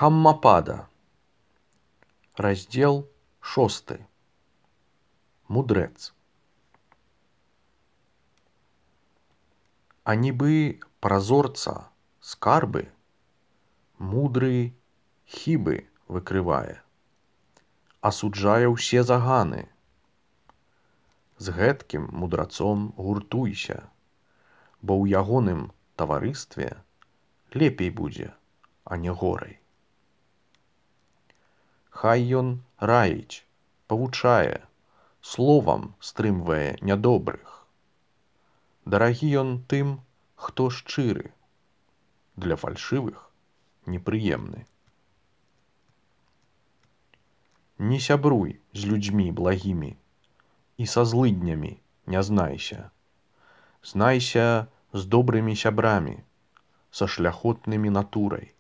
Дхаммапада. Раздел 6. Мудрэц. А нібы празорца скарбы, мудры хібы выкрывае, асуджае ўсе заганы. З гэткім мудрацом гуртуйся, бо ў ягоным таварыстве лепей будзе, а не горай. Хай ён раіць, павучае, словам стрымвае нядобрых. Дарагі ён тым, хто шчыры, для фальшывых непрыемны. Не сябруй з людзьмі благімі і са злыднямі не знайся. Знайся з добрымі сябрамі, са шляхотнымі натурай.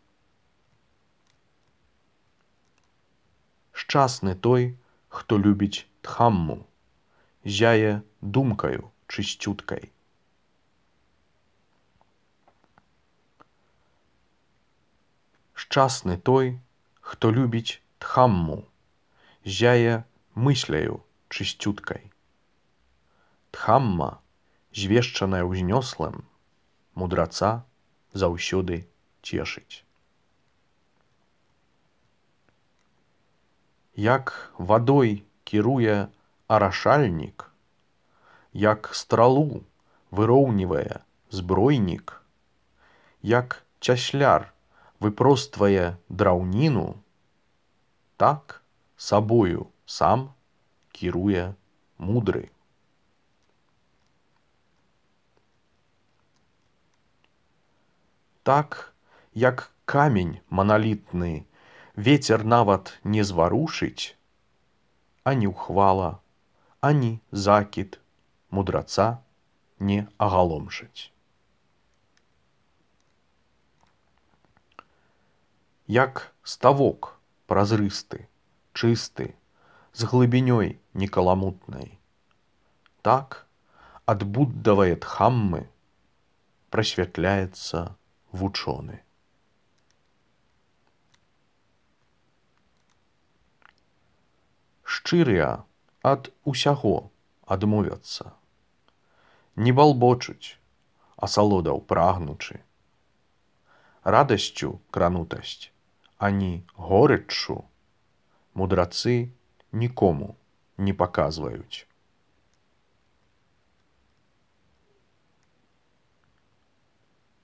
Шчасны той, хто любіць дхамму, зяе думкаю чысцюткай. Шчасны той, хто любіць дхамму, зяе мысляю чысцюткай. Дхамма, звешчаная ўзнёслым, мудраца заўсёды цешыць. Як вадой кіруе арашальнік, як стралу выроўнівае збройнік, як цясляр выпроствае драўніну, так сабою сам кіруе мудры. Так, як камень маналітны вецер нават не зварушыць, ані ўхвала, ані закід мудраца не агаломшыць. Як ставок празрысты, чысты, з глыбінёй некаламутнай, так ад буддавае дхаммы прасвятляецца вучоны. Шчырыя ад усяго адмовяцца, не балбочуць, асалодаў прагнучы. Радасцю кранутасць, ані горыччу мудрацы нікому не паказваюць.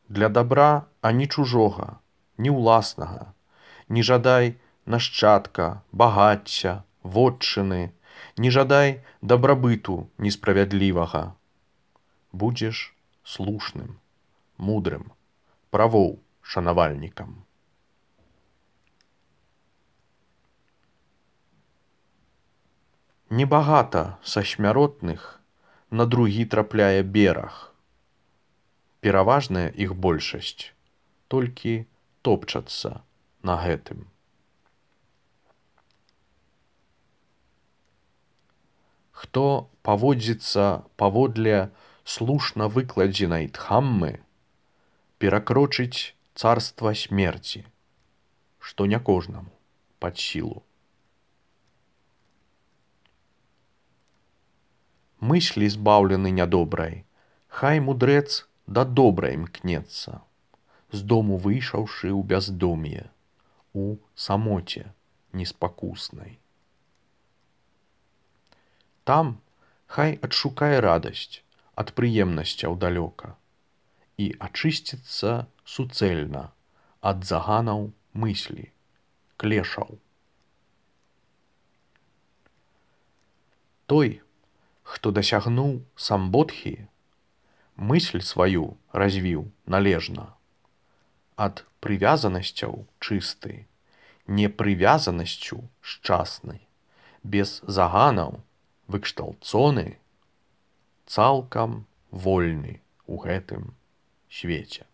Для дабра ані чужога, ні ўласнага, не жадай нашчадка, багацця, вотчыны, не жадай дабрабыту несправядлівага. Будзеш слушным, мудрым, правоў шанавальнікам. Небагата са смяротных на другі трапляе бераг. Пераважная іх большасць толькі топчацца на гэтым. Хто паводзіцца паводле слушна выкладзенай дхаммы, перакрочыць царства смерці, што не кожнаму пад сілу. Мыслі збаўлены нядобрай, хай мудрэц да добрай імкнецца, з дому выйшаўшы ў бяздом'е, у самоце неспакуснай. Там хай адшукае радасць ад прыемнасцяў далёка і ачысціцца суцэльна ад заганаў мыслі, клешаў. Той, хто дасягнуў самбодхі, мысль сваю развіў належна, ад прывязанасцяў чысты, непрывязанасцю шчасны, без заганаў выкшталцоны, цалкам вольны ў гэтым свеце.